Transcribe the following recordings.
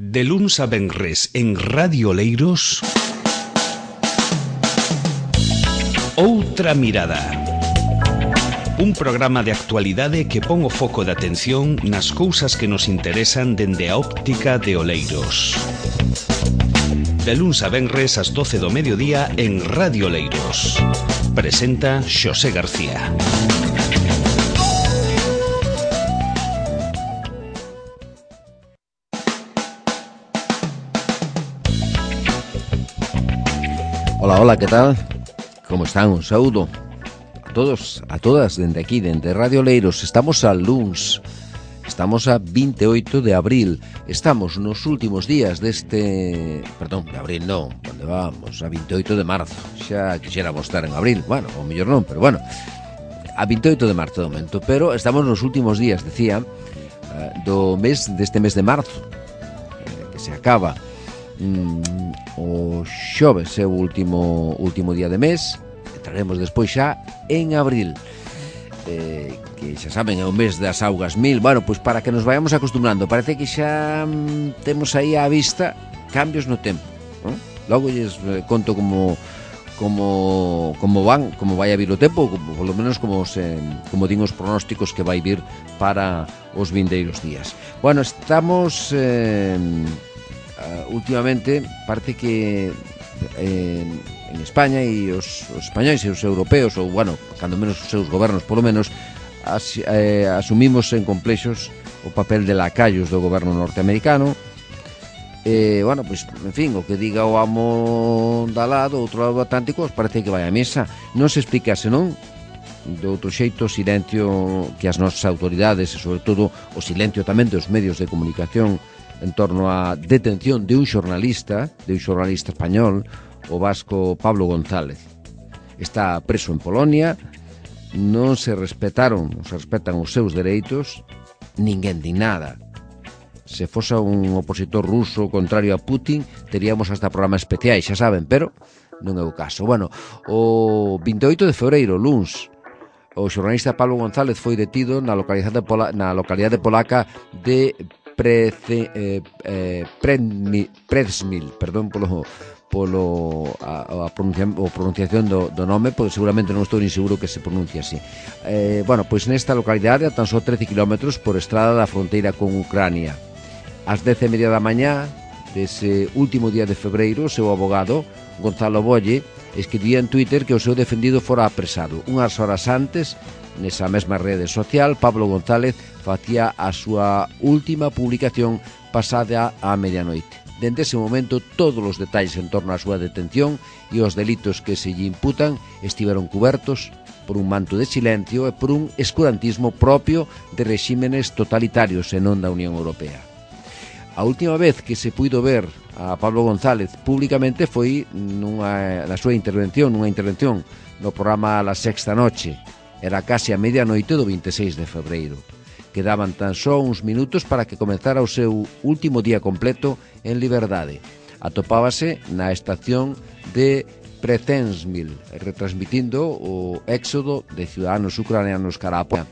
De luns a venres en Radio Oleiros, Outra Mirada. Un programa de actualidade que pon o foco de atención nas cousas que nos interesan dende a óptica de Oleiros. De luns a venres ás 12 do mediodía en Radio Oleiros. Presenta Xosé García. Hola, ¿qué tal? ¿Cómo están? Un saúdo a todos, a todas, dende aquí, dende Radio Oleiros. Estamos a luns, estamos a 28 de abril. Estamos nos últimos días deste... Perdón, de abril non, onde vamos? A 28 de marzo. Xa quixéramos estar en abril, bueno, ou mellor non, pero bueno, a 28 de marzo de momento. Pero estamos nos últimos días, decía, deste mes de marzo, que se acaba. O xoves é o último día de mes. Entraremos despois xa en abril, que xa saben, é o mes das augas mil. Bueno, pois para que nos vayamos acostumbrando, parece que xa temos aí á vista cambios no tempo, non? Logo lles conto como vai a vir o tempo, polo menos como din os pronósticos que vai vir para os vindeiros días. Bueno, estamos últimamente parece que en España e os españois e os europeos, ou bueno, cando menos os seus gobernos polo menos, asumimos en complexos o papel de lacayos do goberno norteamericano. Bueno, pois, en fin, o que diga o amo da lado, outro lado do Atlántico, parece que vai a mesa. Non se explica, senón de outro xeito, o silencio que as nosas autoridades e sobre todo o silencio tamén dos medios de comunicación en torno á detención de un xornalista español, o vasco Pablo González. Está preso en Polonia, non se respetan os seus dereitos, ninguén di nada. Se fosa un opositor ruso contrario a Putin, teríamos hasta programas especiais, xa saben, pero non é o caso. Bueno, o 28 de febreiro, luns, o xornalista Pablo González foi detido na localidade polaca de Przemyśl, perdón a pronunciación do nome, porque seguramente non estou nin seguro que se pronuncia así. Bueno, pois nesta localidade a tan só 13 km por estrada da fronteira con Ucrania. Ás 10:30 da mañá dese último día de febreiro, o seu abogado, Gonzalo Bolle, escribía en Twitter que o seu defendido fora apresado. Unhas horas antes, nesa mesma rede social, Pablo González facía a súa última publicación pasada a medianoite. Dende ese momento, todos os detalles en torno á súa detención e os delitos que se lle imputan estiveron cubertos por un manto de silencio e por un escurantismo propio de rexímenes totalitarios e non da Unión Europea. A última vez que se puido ver a Pablo González públicamente foi nunha intervención no programa La Sexta Noche. Era case a medianoite do 26 de febreiro. Quedaban tan só uns minutos para que comezara o seu último día completo en liberdade. Atopábase na estación de Przemyśl, retransmitindo o éxodo de ciudadanos ucranianos cara a Polonia.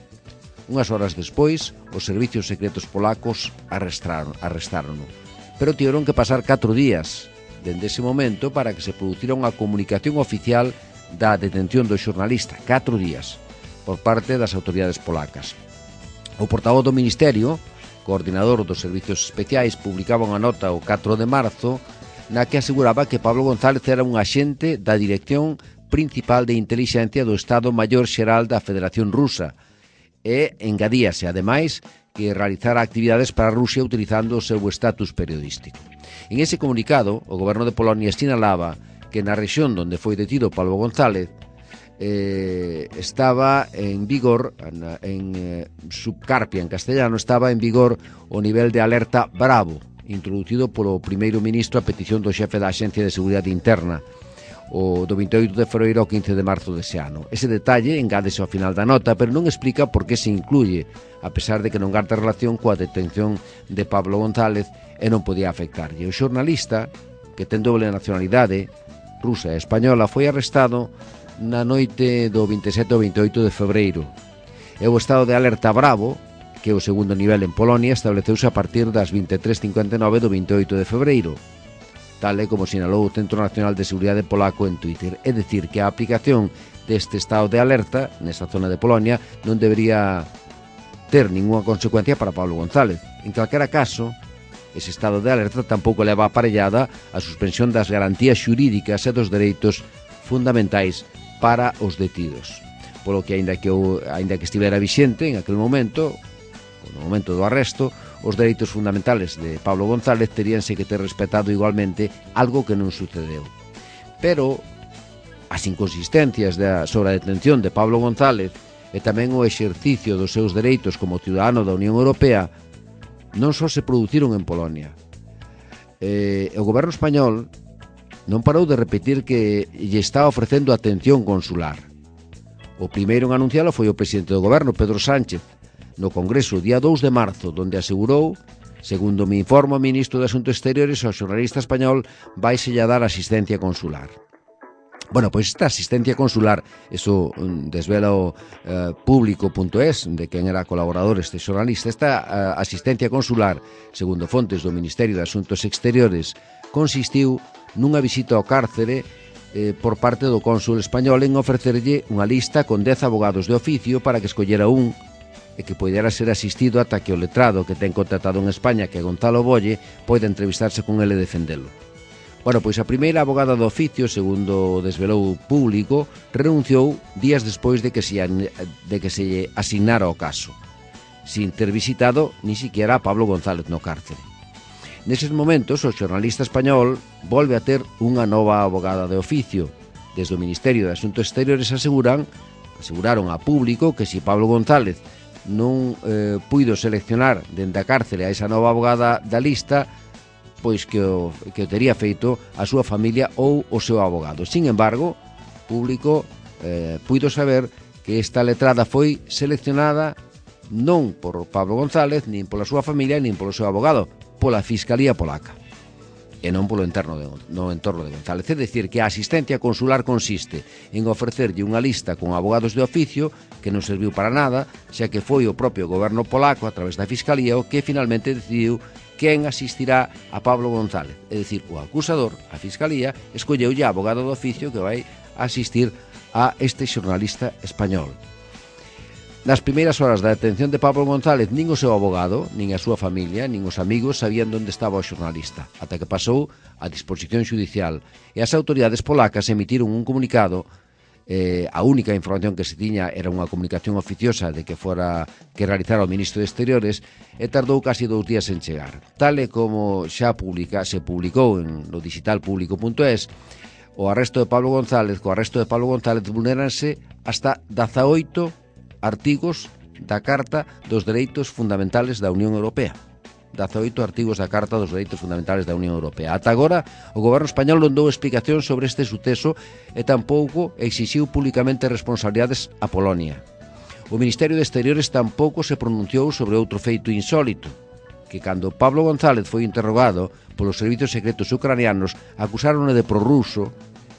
Unhas horas despois, os servicios secretos polacos arrestárono. Pero tiveron que pasar 4 días dende ese momento para que se producira unha comunicación oficial da detención do xornalista. 4 días por parte das autoridades polacas. O portavoz do Ministerio, coordinador dos servicios especiais, publicaba unha nota o 4 de marzo na que aseguraba que Pablo González era un axente da Dirección Principal de Intelixencia do Estado Maior Xeral da Federación Rusa e engadíase, ademais, que realizara actividades para Rusia utilizando o seu estatus periodístico. En ese comunicado, o goberno de Polonia sinalaba que na rexión onde foi detido Pablo González estaba en vigor, en Subcarpia, en castellano, estaba en vigor o nivel de alerta bravo, introducido polo primeiro ministro a petición do xefe da Axencia de Seguridade Interna, o do 28 de febreiro ao 15 de marzo dese ano. Ese detalle engádese ao final da nota, pero non explica por que se incluye, a pesar de que non garda relación coa detención de Pablo González e non podía afectarlle. O xornalista, que ten doble nacionalidade, rusa e española, foi arrestado na noite do 27 ao 28 de febreiro. E o estado de alerta bravo que o segundo nivel en Polonia estableceuse a partir das 23:59 do 28 de febreiro, tal e como sinalou o Centro Nacional de Seguridade Polaco en Twitter. É dicir, que a aplicación deste estado de alerta nesta zona de Polonia non debería ter ninguna consecuencia para Pablo González. En calquera caso, ese estado de alerta tampouco leva aparellada a suspensión das garantías xurídicas e dos dereitos fundamentais para os detidos. Polo que, aínda que estivera vixente en aquel momento, no momento do arresto, os dereitos fundamentales de Pablo González teríanse que ter respetado igualmente, algo que non sucedeu. Pero as inconsistencias sobre a detención de Pablo González e tamén o exercicio dos seus dereitos como ciudadano da Unión Europea non só se produciron en Polonia. O goberno español non parou de repetir que lle estaba ofrecendo atención consular. O primeiro en anuncialo foi o presidente do goberno, Pedro Sánchez, no Congreso, día 2 de marzo, donde asegurou, segundo me informa o ministro de Asuntos Exteriores, ao xornalista español vaiselle a dar asistencia consular. Bueno, pois esta asistencia consular, eso desvela o público.es, de quen era colaborador este xornalista, esta asistencia consular, segundo fontes do Ministerio de Asuntos Exteriores, consistiu nunha visita ao cárcere por parte do cónsul español en ofrecerlle unha lista con 10 abogados de oficio para que escollera un e que poidera ser asistido ata que o letrado que ten contratado en España, que é Gonzalo Bolle, poida entrevistarse con ele e defendelo. Bueno, pois a primeira abogada do oficio, segundo desvelou o Público, renunciou días despois de que se lle asignara o caso, sin ter visitado ni siquiera a Pablo González no cárcere. Neses momentos, o xornalista español volve a ter unha nova abogada de oficio. Desde o Ministerio de Asuntos Exteriores aseguraron a Público que se Pablo González non puido seleccionar dende a cárcere a esa nova abogada da lista, pois que o tería feito a súa familia ou o seu abogado. Sin embargo, Público puido saber que esta letrada foi seleccionada non por Pablo González, nin pola súa familia, nin polo seu abogado, pola Fiscalía Polaca, e non polo entorno de González. É dicir, que a asistencia consular consiste en ofrecerlle unha lista con abogados de oficio que non serviu para nada, xa que foi o propio goberno polaco, a través da Fiscalía, o que finalmente decidiu quen asistirá a Pablo González. É dicir, o acusador, a Fiscalía, escolleulle a abogado de oficio que vai asistir a este xornalista español. Nas primeiras horas da detención de Pablo González, nin o seu abogado, nin a súa familia, nin os amigos sabían onde estaba o xornalista, ata que pasou a disposición xudicial e as autoridades polacas emitiron un comunicado. A única información que se tiña era unha comunicación oficiosa de que realizara o ministro de Exteriores, e tardou casi 2 días en chegar. Tal e como xa se publicou no digital público.es, co arresto de Pablo González vulnéranse hasta 18 artigos da Carta dos Dereitos Fundamentales da Unión Europea. 18 artigos da Carta dos Dereitos Fundamentales da Unión Europea. Ata agora, o goberno español non dou explicación sobre este suceso e tampouco exixiu públicamente responsabilidades a Polonia. O Ministerio de Exteriores tampouco se pronunciou sobre outro feito insólito, que cando Pablo González foi interrogado polos servizos secretos ucranianos, acusáronle de prorruso.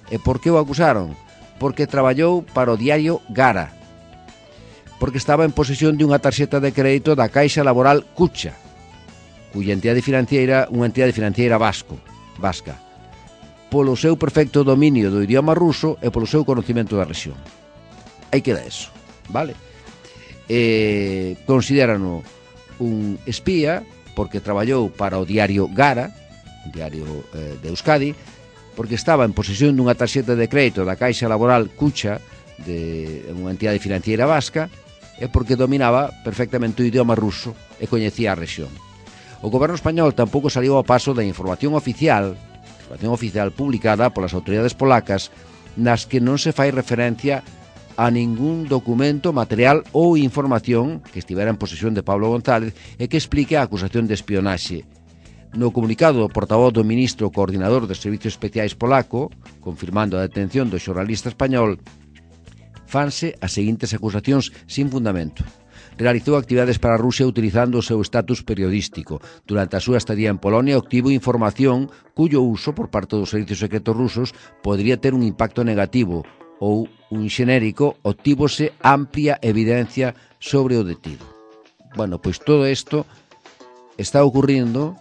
E por que o acusaron? Porque traballou para o diario Gara, porque estaba en posesión de unha tarxeta de crédito da Caixa Laboral Kucha, cuya entidade financiera, unha entidade financiera vasca, polo seu perfecto dominio do idioma ruso e polo seu conocimento da rexión. Aí queda eso, vale? Considérano un espía porque traballou para o diario Gara, un diario de Euskadi, porque estaba en posesión dunha tarxeta de crédito da Caixa Laboral Kucha, de unha entidade financiera vasca, e porque dominaba perfectamente o idioma ruso e coñecía a rexión. O goberno español tampouco saliu ao paso da información oficial publicada polas autoridades polacas, nas que non se fai referencia a ningún documento, material ou información que estivera en posesión de Pablo González e que explique a acusación de espionaxe. No comunicado do portavoz do ministro coordinador dos Servicios Especiais polaco, confirmando a detención do xornalista español, fanse as seguintes acusacións sin fundamento. Realizou actividades para Rusia utilizando o seu estatus periodístico. Durante a súa estadía en Polonia obtivo información cuyo uso por parte dos servicios secretos rusos podría ter un impacto negativo, ou un xenérico, obtívose amplia evidencia sobre o detido. Bueno, pois todo isto está ocurrindo,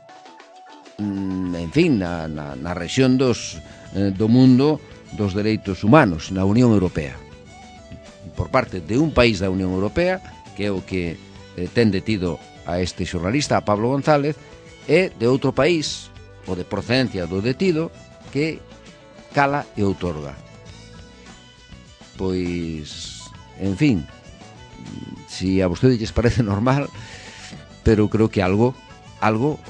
en fin, na rexión do mundo dos dereitos humanos, na Unión Europea. Por parte de un país da Unión Europea, que é o que ten detido a este xornalista, a Pablo González, e de outro país, o de procedencia do detido, que cala e outorga. Pois, en fin, si a vostede lles parece normal, pero creo que algo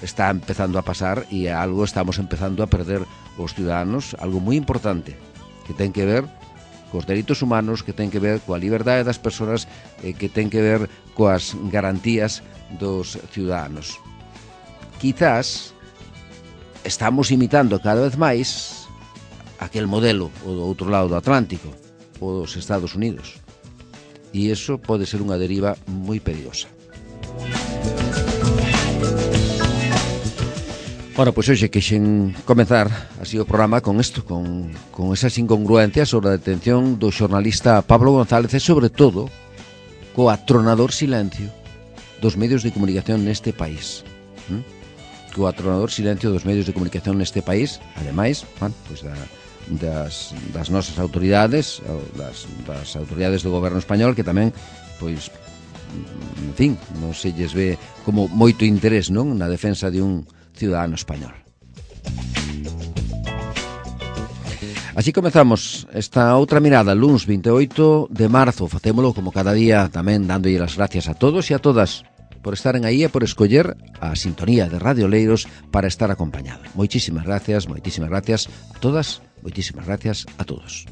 está empezando a pasar e algo estamos empezando a perder os ciudadanos, algo moi importante que ten que ver cos dereitos humanos, que ten que ver coa liberdade das persoas, que ten que ver coas garantías dos ciudadanos. Quizás estamos imitando cada vez máis aquel modelo o do outro lado do Atlántico, o dos Estados Unidos, e iso pode ser unha deriva moi perigosa. Bueno, pois hoxe quixen comezar así o programa con isto, con esas incongruencias sobre a detención do xornalista Pablo González e sobre todo co atronador silencio dos medios de comunicación neste país. Co atronador silencio dos medios de comunicación neste país, ademais, bueno, pois das nosas autoridades, das autoridades do goberno español, que tamén, pois, en fin, non se lles ve como moito interés, non, na defensa de un ciudadano español. Así comezamos esta outra mirada, luns 28 de marzo. Facémolo como cada día, tamén dándolle as gracias a todos e a todas por estaren aí e por escoller a sintonía de Radio Oleiros para estar acompañado. Moitísimas gracias a todas, moitísimas gracias a todos.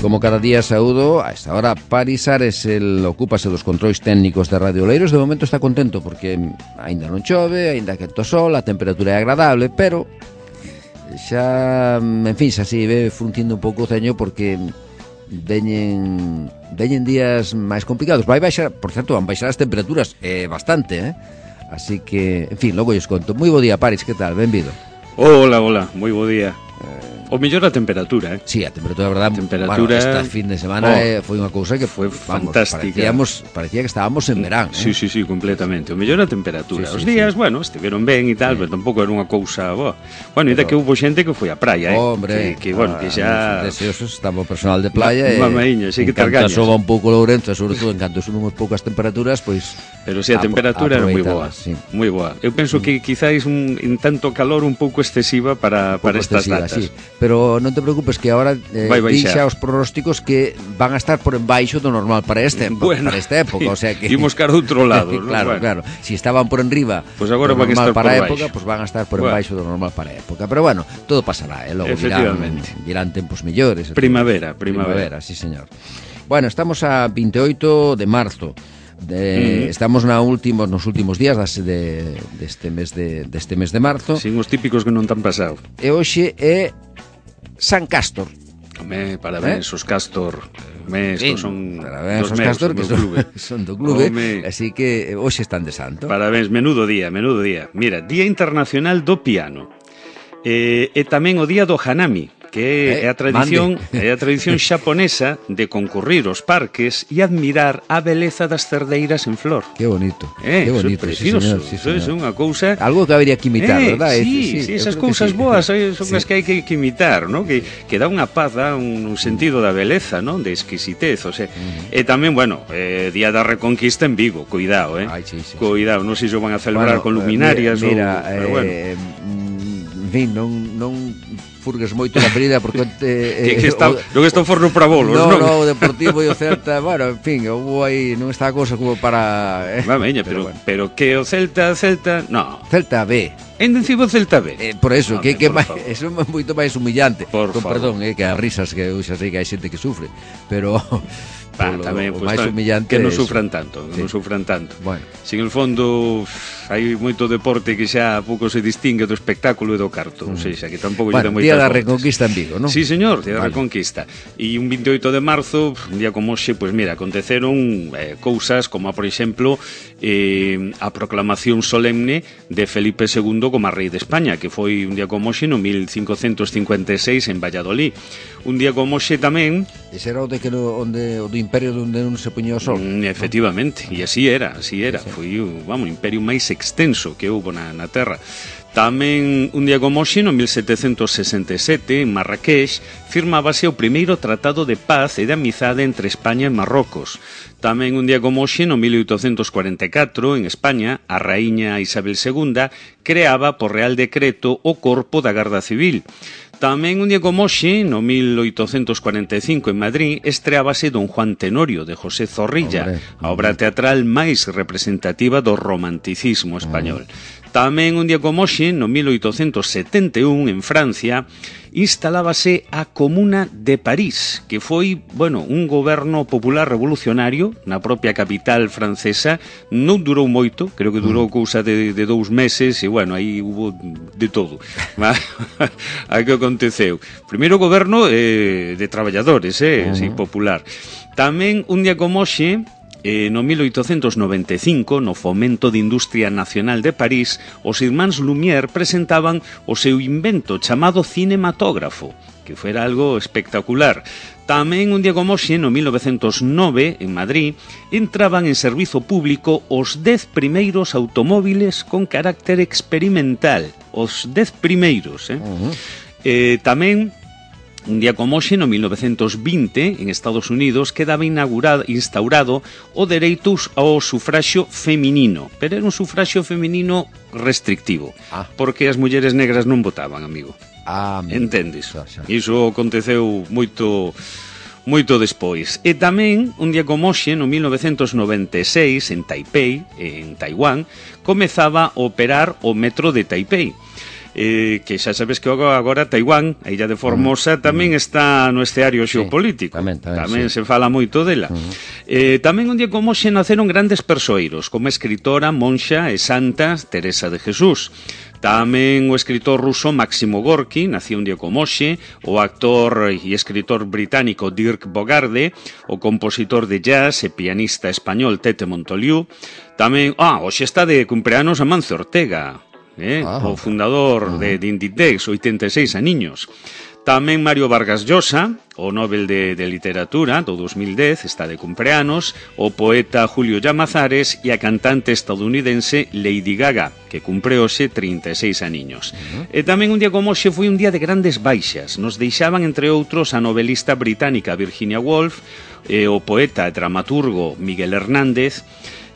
Como cada día saúdo, a esta hora Paris Ares, el ocúpase dos controis técnicos de Radio Oleiros. De momento está contento porque aínda non chove, aínda que to sol, a temperatura é agradable, pero xa, en fin, xa se ve fruntindo un pouco o ceño porque veñen días máis complicados. Vai baixar, por certo, van baixar as temperaturas bastante, así que, en fin, logo lles conto. Moi bo día, Paris, que tal? Benvido. Hola, moi bo día. O mellor a temperatura, Sí, a temperatura, a verdade, bueno, esta fin de semana foi unha cousa que foi fantástica. Parecía que estábamos en verán. Sí, completamente. O mellor a temperatura. Os días, bueno, estiveron ben e tal, pero tampouco era unha cousa boa. Bueno, ainda que houve xente que foi á praia, Hombre, que bueno, que xa deseosos, estaba o personal de playa mamaíña, sí que targañas. Soba un pouco Lourenço, sobre todo en canto suben unhas poucas temperaturas, pois pero si a temperatura era moi boa, moi boa. Eu penso que quizáis un tanto calor un pouco excesiva para estas datas. Sí. Pero non te preocupes que agora dixa os pronósticos que van a estar por embaixo do normal para esta época, o sea que imos cara do outro lado, claro. Si estaban por enriba, pues agora van a estar para por época, pues van a estar por embaixo do normal para época. Pero bueno, todo pasará, logo virán tempos mellores. Primavera, sí, señor. Bueno, estamos a 28 de marzo. Estamos nos últimos días deste mes de marzo. Sin os típicos que non tan pasado. E hoxe é San Cástor. Parabéns, os Cástor. Parabéns os Cástor, que son do clube. Así que hoxe están de santo. Parabéns, menudo día. Mira, Día Internacional do Piano. E tamén o Día do Hanami, que é a tradición xaponesa de concurrir aos parques e admirar a beleza das cerdeiras en flor. Que bonito. Que bonito, precioso. Sí, señor. É unha cousa algo que habería que imitar, verdad? Sí, esas cousas boas son as que hai que imitar, ¿no? Que dá unha paz, dá un sentido da beleza, ¿no? De exquisitez, o sea, e tamén, bueno, Día da Reconquista en Vigo, cuidado, cuidado, non sei se o van a celebrar con luminarias pero bueno. En fin, non furgues moito na ferida porque que está o forno para bolos, non? No, o Deportivo e o Celta, bueno, en fin, houve aí, non está a cousa como para pero que o Celta, no. Celta B. En encima Celta B. Por eso, que eso é moito máis humillante. Perdón, que as risas que eu xa sei que hai xente que sufre, pero tamén, o máis humillante que non sufran tanto, Bueno. Sin el fondo hai moito deporte que xa pouco se distingue do espectáculo e do carto, ou seja, que tampouco lle dá moitas Día da Reconquista en Vigo, non? Sí, señor, Día da Reconquista. E un 28 de marzo, un día como hoxe, pois mira, aconteceron cousas como, por exemplo, a proclamación solemne de Felipe II como rei de España, que foi un día como hoxe no 1556 en Valladolid. Un día como hoxe tamén Ese era o do imperio onde non se poñía o sol. Efectivamente, e así era. Foi un imperio máis extenso que houve na Terra. Tamén un día como hoxe, no 1767, en Marrakech, firmábase o primeiro tratado de paz e de amizade entre España e Marrocos. Tamén un día como hoxe, no 1844, en España, a raíña Isabel II creaba por Real Decreto o Corpo da Garda Civil. Tamén un día como hoxe, no 1845, en Madrid, estreábase Don Juan Tenorio, de José Zorrilla, a obra teatral máis representativa do romanticismo español. Tamén un día como hoxe, no 1871, en Francia, instalábase a Comuna de París, que foi, un goberno popular revolucionario na propia capital francesa. Non durou moito, creo que durou cousa de 2 meses, e, aí hubo de todo. A que aconteceu? Primeiro goberno de traballadores, así, popular. Tamén un día como hoxe, no 1895, no Fomento de Industria Nacional de París, os irmáns Lumière presentaban o seu invento chamado cinematógrafo, que fora algo espectacular. Tamén un día como hoxe, no 1909, en Madrid, entraban en servizo público os 10 primeiros automóviles con carácter experimental. Os 10 primeiros, tamén un día como hoxe, no 1920, en Estados Unidos, quedaba instaurado o dereito ao sufraxio feminino, pero era un sufraxio feminino restrictivo, porque as mulleres negras non votaban, amigo. Entendes? Iso aconteceu moito despois. E tamén, un día como hoxe, no 1996, en Taipei, en Taiwán, comezaba a operar o metro de Taipei. Que xa sabes que agora Taiwán, a illa de Formosa, tamén está no esteario xeopolítico. Tamén se fala moito dela. Tamén un día como hoxe naceron grandes persoeiros, como a escritora, monxa e santa Teresa de Jesús. Tamén o escritor ruso Máximo Gorki, nació un día como hoxe, o actor e escritor británico Dirk Bogarde, o compositor de jazz e pianista español Tete Montoliu. Tamén, hoxe está de cumpleanos Amancio Ortega, o fundador de Inditex, 86 aniños. Tamén Mario Vargas Llosa, o Nobel de Literatura do 2010, está de cumpleanos, o poeta Julio Llamazares e a cantante estadounidense Lady Gaga, que cumpre hoxe 36 aniños. E tamén un día como hoxe foi un día de grandes baixas. Nos deixaban, entre outros, a novelista británica Virginia Woolf, o poeta e dramaturgo Miguel Hernández,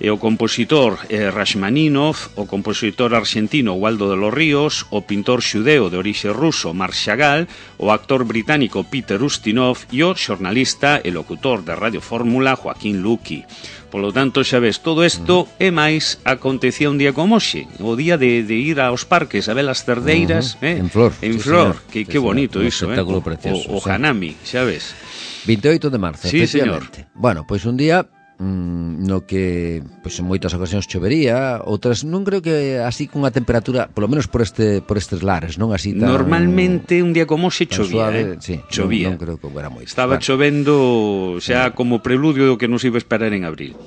e o compositor Rachmaninoff, o compositor argentino Waldo de los Ríos, o pintor xudeo de orixe ruso Marc Chagall, o actor británico Peter Ustinov e o xornalista e locutor de Radio Fórmula Joaquín Luqui. Polo tanto, xa ves, todo isto e máis acontecía un día como hoxe, o día de ir aos parques a ver as cerdeiras, en flor. Que bonito iso, o Hanami, xa ves. 28 de marzo, efectivamente. Señor. Bueno, pois un día no que en moitas ocasións chovería, outras non creo que así cunha temperatura, polo menos por estes lares, non así tan... Normalmente un día como se chovía, chovía. Non creo que era moito. Estaba chovendo xa como preludio do que nos iba a esperar en abril.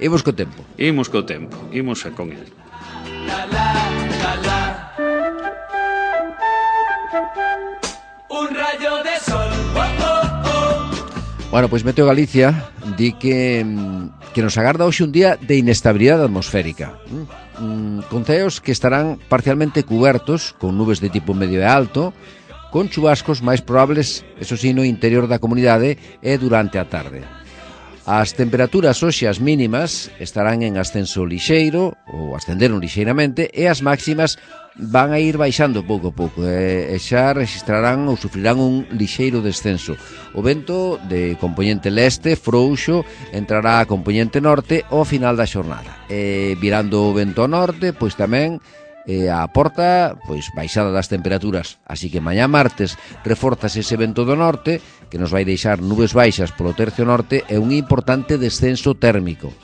Imos co tempo. Imos con el. Un rayo de sol. Bueno, pois Meteo Galicia di que nos agarda hoxe un día de inestabilidade atmosférica, con ceos que estarán parcialmente cubertos con nubes de tipo medio e alto, con chubascos máis probables, eso sí, no interior da comunidade e durante a tarde. As temperaturas hoxe as mínimas estarán en ascenso lixeiro, ou ascenderon lixeiramente, e as máximas van a ir baixando pouco a pouco e xa registrarán ou sufrirán un lixeiro descenso. O vento de compoñente leste frouxo entrará a compoñente norte ao final da xornada. Virando o vento ao norte, pois tamén a porta baixada das temperaturas. Así que mañá martes reforzase ese vento do norte que nos vai deixar nubes baixas polo tercio norte e un importante descenso térmico.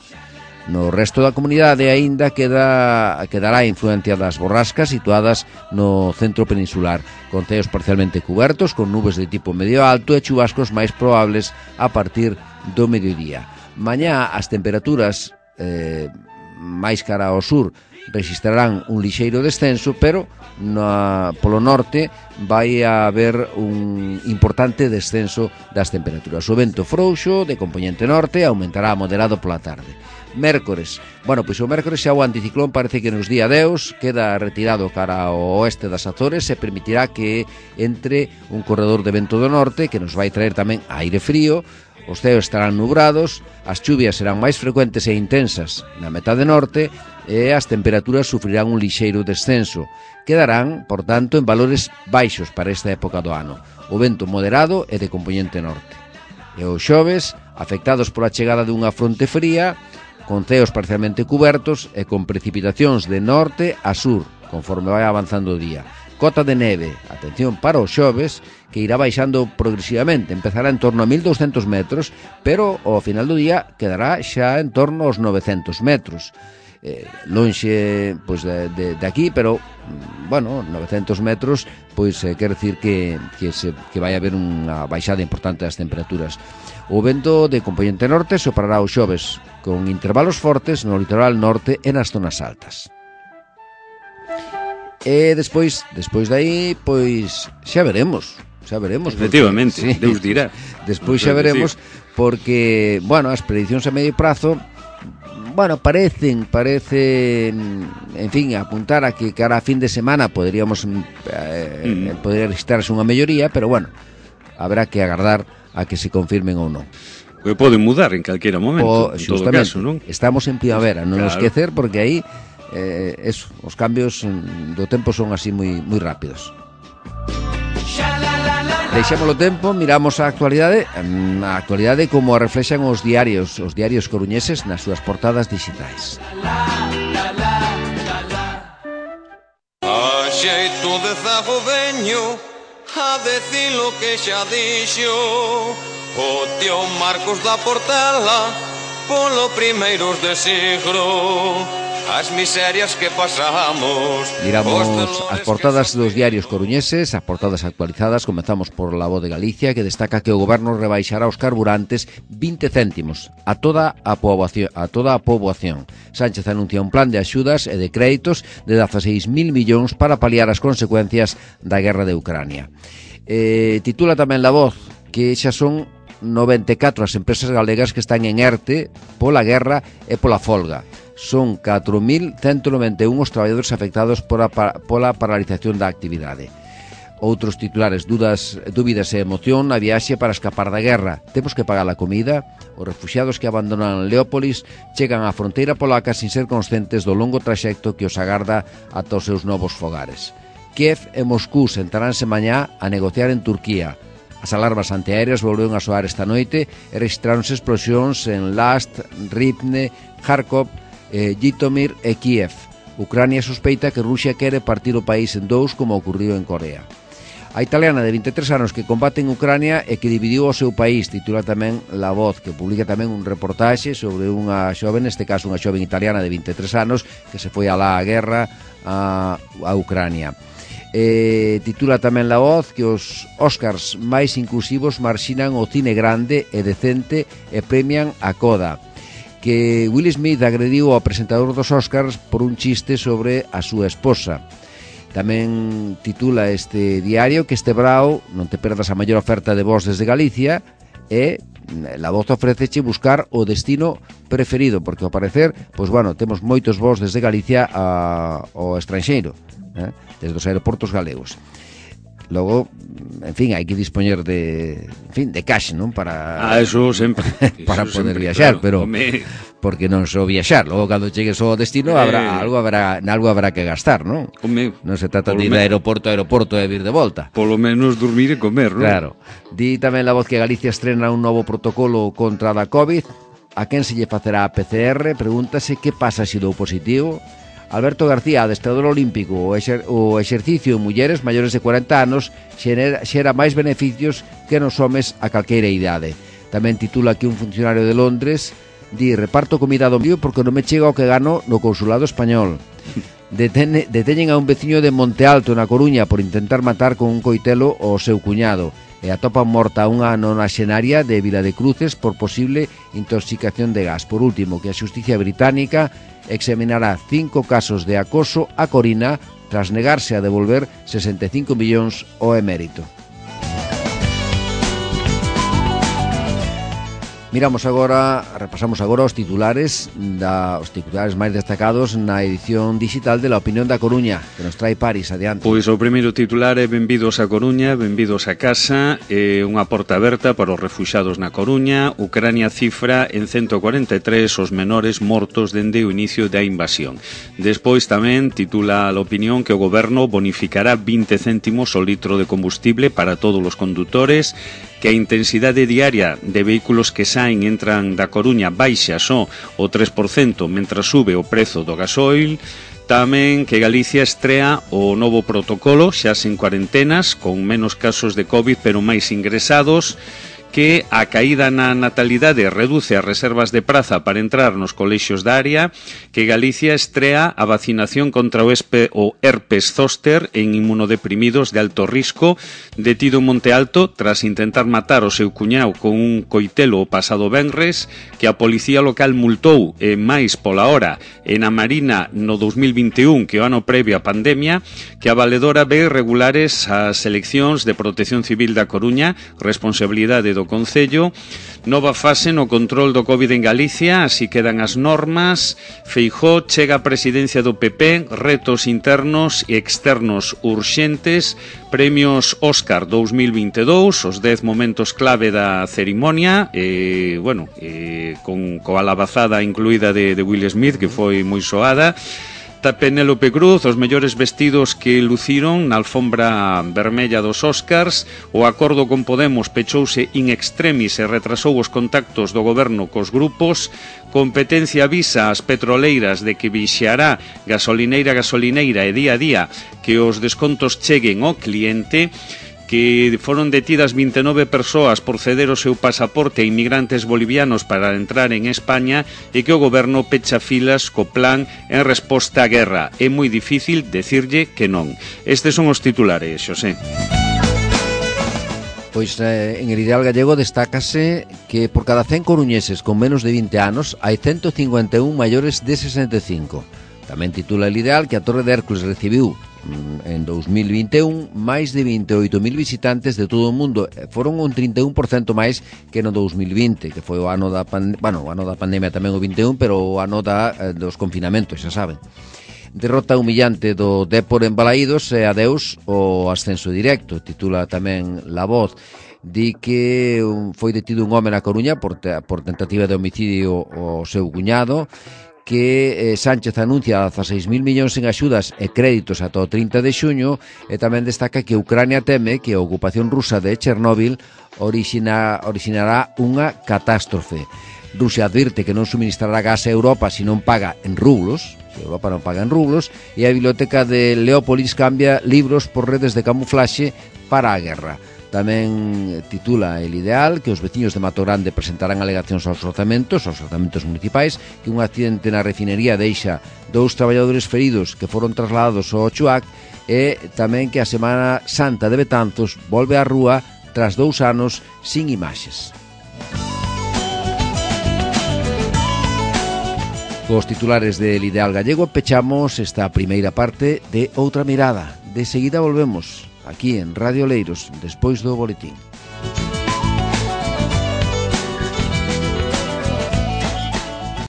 No resto da comunidade aínda quedará a influencia das borrascas situadas no centro peninsular, con ceos parcialmente cubertos, con nubes de tipo medio alto e chubascos máis probables a partir do mediodía. Mañá as temperaturas máis cara ao sur registrarán un lixeiro descenso, pero polo norte vai haber un importante descenso das temperaturas. O vento frouxo de compoñente norte aumentará a moderado pola tarde. Mércores, bueno, pois o mércores xa o anticiclón parece que nos día 10 queda retirado cara ao oeste das Azores e permitirá que entre un corredor de vento do norte que nos vai traer tamén aire frío. Os ceos estarán nubrados, as chuvias serán máis frecuentes e intensas na metade norte e as temperaturas sufrirán un lixeiro descenso. Quedarán, por tanto, en valores baixos para esta época do ano. O vento moderado e de compoñente norte. E os xoves, afectados pola chegada dunha fronte fría, con ceos parcialmente cubertos e con precipitacións de norte a sur, conforme vai avanzando o día. Cota de neve, atención para os xoves, que irá baixando progresivamente, empezará en torno a 1200 metros, pero ao final do día quedará xa en torno aos 900 metros. Lonxe pois, de aquí, pero, bueno, 900 metros, pois quer decir que vai haber unha baixada importante das temperaturas. O vento de compoñente norte soprará os xoves con intervalos fortes no litoral norte e nas zonas altas. E despois de aí, pois xa veremos. Efectivamente, porque, sí, Deus dirá. Despois xa veremos, porque, bueno, as prediccións a medio prazo, bueno, parecen, en fin, apuntar a que cara a fin de semana poderíamos poder registrar unha melloría, pero bueno, habrá que agardar a que se confirmen ou non. Que poden mudar en calquera momento, en todo caso, non? Estamos en primavera, non nos esquecer, porque aí os cambios do tempo son así moi rápidos. Deixámolo tempo, miramos a actualidade como a reflexan os diarios coruñeses nas súas portadas digitais. A xeito de zago veño a decir lo que xa dixo o tío Marcos da Portela polo primeiros de siglo. As miserias que pasamos. Miramos as portadas dos diarios coruñeses, as portadas actualizadas. Comezamos por La Voz de Galicia, que destaca que o goberno rebaixará os carburantes 20 céntimos a toda a poboación. Sánchez anuncia un plan de axudas e de créditos de 16.000 millóns para paliar as consecuencias da guerra de Ucrania. Titula tamén La Voz que xa son 94 as empresas galegas que están en ERTE pola guerra e pola folga. Son 4.191 os traballadores afectados pola paralización da actividade. Outros titulares: dúbidas e emoción na viaxe para escapar da guerra. Temos que pagar a comida. Os refuxiados que abandonan Leópolis chegan á fronteira polaca sin ser conscientes do longo traxecto que os agarda ata os seus novos fogares. Kiev e Moscú sentaránse mañá a negociar en Turquía. As alarmas antiaéreas volveron a soar esta noite e registráronse explosións en Last, Rivne, Kharkov, Jitomir e Kiev. Ucrania sospeita que Rusia quere partir o país en dous, como ocurriu en Corea. A italiana de 23 anos que combate en Ucrania e que dividiu o seu país, titula tamén La Voz, que publica tamén un reportaxe sobre unha xoven, neste caso unha xoven italiana de 23 anos que se foi alá a guerra a Ucrania. Titula tamén La Voz que os Óscars máis inclusivos marxinan o cine grande e decente e premian a Coda, que Will Smith agrediu ao presentador dos Óscars por un chiste sobre a súa esposa. Tamén titula este diario que este brao non te perdas a maior oferta de voz desde Galicia e La Voz ofreceche buscar o destino preferido, porque ao parecer, pois bueno, temos moitos voos desde Galicia ao estranxeiro, desde os aeroportos galegos. Logo, en fin, hai que dispoñer de cash, non? Para eso sempre. Para eso poder sempre, viaxar, claro, pero porque non só viaxar, logo cando chegues ao destino algo habrá que gastar, non? Non se trata de ir de aeroporto a aeroporto e vir de volta. Polo menos dormir e comer, non? Claro. Di tamén La Voz que Galicia estrena un novo protocolo contra a COVID. A quen se lle facerá a PCR? Pregúntase que pasa se dou positivo. Alberto García, adestrador olímpico, o exercicio en mulleres maiores de 40 anos xera máis beneficios que nos homes a calqueira idade. Tamén titula que un funcionario de Londres di: reparto comida do mío porque non me chega o que gano no consulado español. Deteñen a un veciño de Monte Alto, na Coruña, por intentar matar con un coitelo ao seu cuñado, e atopan morta unha nonaxenaria de Vila de Cruces por posible intoxicación de gas. Por último, que a xusticia británica examinará 5 casos de acoso a Corina tras negarse a devolver 65 millóns ao emérito. Repasamos agora os titulares máis destacados na edición digital de La Opinión da Coruña, que nos trae Paris, adiante. Pois o primeiro titular é benvidos a Coruña, benvidos a casa, unha porta aberta para os refuxados na Coruña. Ucrania cifra en 143 os menores mortos dende o inicio da invasión. Despois tamén titula La Opinión que o goberno bonificará 20 céntimos o litro de combustible para todos os condutores, que a intensidade diaria de vehículos que saen e entran da Coruña baixa só o 3%, mentras sube o prezo do gasoil. Tamén que Galicia estrea o novo protocolo, xa sen cuarentenas, con menos casos de COVID pero máis ingresados, que a caída na natalidade reduce as reservas de praza para entrar nos colexios da área, que Galicia estrea a vacinación contra o herpes zóster en inmunodeprimidos de alto risco, detido en Monte Alto tras intentar matar o seu cuñao con un coitelo o pasado venres, que a policía local multou máis pola hora en a Marina no 2021 que o ano previo á pandemia, que a valedora ve irregulares as eleccións de Protección Civil da Coruña, responsabilidade do Concello. Nova fase no control do COVID en Galicia, así quedan as normas. Feijóo chega a presidencia do PP, retos internos e externos urxentes. Premios Óscar 2022, os 10 momentos clave da cerimonia, con coa alabazada incluída de Will Smith, que foi moi soada. Penélope Cruz, os mellores vestidos que luciron na alfombra vermella dos Óscars. O acordo con Podemos pechouse in extremis e retrasou os contactos do goberno cos grupos. Competencia avisa ás petroleiras de que vixiará gasolineira e día a día que os descontos cheguen ao cliente. Que foron detidas 29 persoas por ceder o seu pasaporte a inmigrantes bolivianos para entrar en España e que o goberno pecha filas co plan en resposta á guerra. É moi difícil decirlle que non. Estes son os titulares, Xosé. Pois en el Ideal Gallego destácase que por cada 100 coruñeses con menos de 20 anos hai 151 maiores de 65. Tamén titula el Ideal que a Torre de Hércules recibiu en 2021 máis de 28.000 visitantes de todo o mundo. Foron un 31% máis que no 2020, que foi o ano da pandemia tamén o 21, pero o ano dos confinamentos, xa saben. Derrota humillante do Dépor en Balaídos e adeus o ascenso directo, titula tamén La Voz. Di que foi detido un home na Coruña por tentativa de homicidio ao seu cuñado, que Sánchez anuncia 16.000 millóns en axudas e créditos ata o 30 de xuño, e tamén destaca que Ucrania teme que a ocupación rusa de Chernóbil originará unha catástrofe. Rusia advirte que non suministrará gas a Europa se non paga en rublos, e a biblioteca de Leópolis cambia libros por redes de camuflaxe para a guerra. Tamén titula El Ideal que os veciños de Mato Grande presentarán alegacións aos orzamentos municipais, que un accidente na refinería deixa 2 traballadores feridos que foron trasladados ao Chuac, e tamén que a Semana Santa de Betanzos volve á rúa tras 2 anos sin imaxes. Cos titulares del Ideal Gallego pechamos esta primeira parte de Outra Mirada. De seguida volvemos aquí en Radio Oleiros, despois do boletín.